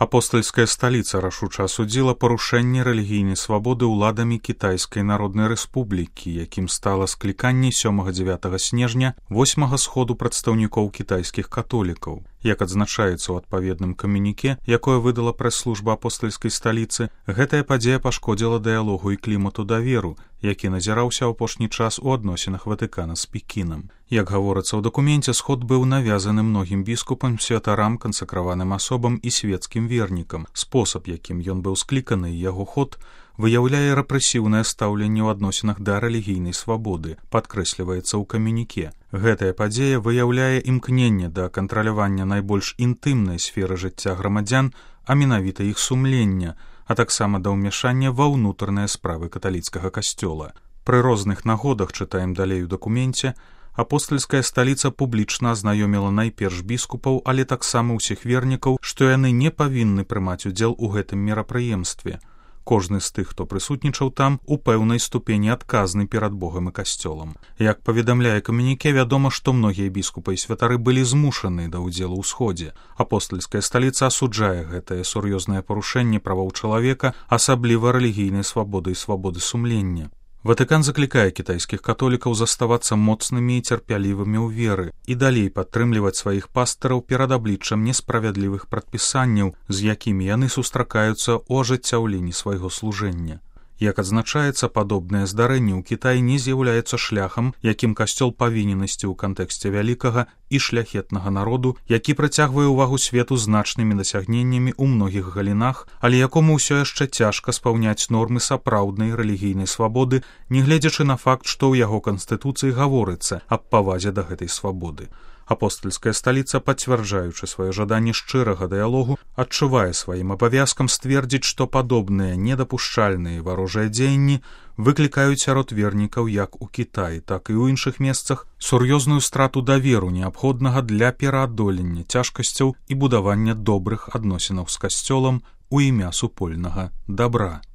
Апостальская сталіца рашуча асудзіла парушэнне рэлігійнай свабоды ўладамі Кітайскай Народнай Рэспублікі, якім стала скліканне 7-9 снежня 8-га сходу прадстаўнікоў кітайскіх католікаў. Як адзначаецца ў адпаведным камюніке, якое выдала прэс-служба апостальскай сталіцы, гэтая падзея пашкодзіла дыялогу і клімату даверу, які назіраўся ў апошні час у адносінах Ватыкана з Пекінам. Як гаворыцца ў дакуменце, сход быў навязаны многім біскупам, святарам, кансакраваным асобам і свецкім вернікам. Спосаб, якім ён быў скліканы і яго ход, выяўляе рэпрэсіўнае стаўленне ў адносінах да рэлігійнай свабоды, падкрэсліваецца ў камюніке. Гэтая падзея выяўляе імкненне да кантралявання найбольш інтымнай сферы жыцця грамадзян, а менавіта іх сумлення, а таксама да ўмяшання ва ўнутраныя справы каталіцкага касцёла. Пры розных нагодах, чытаем далей у дакуменце, апостальская сталіца публічна азнаёміла найперш біскупаў, але таксама ўсіх вернікаў, што яны не павінны прымаць удзел у гэтым мерапрыемстве. Кожны з тых, хто прысутнічаў там, у пэўнай ступені адказны перад Богам і касцёлам. Як паведамляе камюніке, вядома, што многія біскупы і святары былі змушаны да ўдзелу ў сходзе. Апостальская сталіца асуджае гэтае сур'ёзнае парушэнне правоў чалавека, асабліва рэлігійнай свабоды і свабоды сумлення. Ватыкан заклікае кітайскіх католікаў заставацца моцнымі і цярпялівымі ў веры і далей падтрымліваць сваіх пастыраў перад абліччам несправядлівых прадпісанняў, з якімі яны сустракаюцца ў ажыццяўленні свайго служэння. Як адзначаецца, падобнае здарэнне ў Кітаі не з'яўляецца шляхам, якім касцёл павінен ісці ў кантэксце вялікага і шляхетнага народу, які прыцягвае ўвагу свету значнымі дасягненнямі ў многіх галінах, але якому ўсё яшчэ цяжка спаўняць нормы сапраўднай рэлігійнай свабоды, нягледзячы на факт, што ў яго канстытуцыі гаворыцца аб павазе да гэтай свабоды. Апостальская сталіца, пацвярджаючы сваё жаданне шчырага дыялогу, адчувае сваім абавязкам сцвердзіць, што падобныя недапушчальныя варожыя дзеянні выклікаюць сярод вернікаў як у Кітаі, так і ў іншых месцах сур'ёзную страту даверу, неабходнага для пераадолення цяжкасцяў і будавання добрых адносінаў з касцёлам у імя супольнага дабра.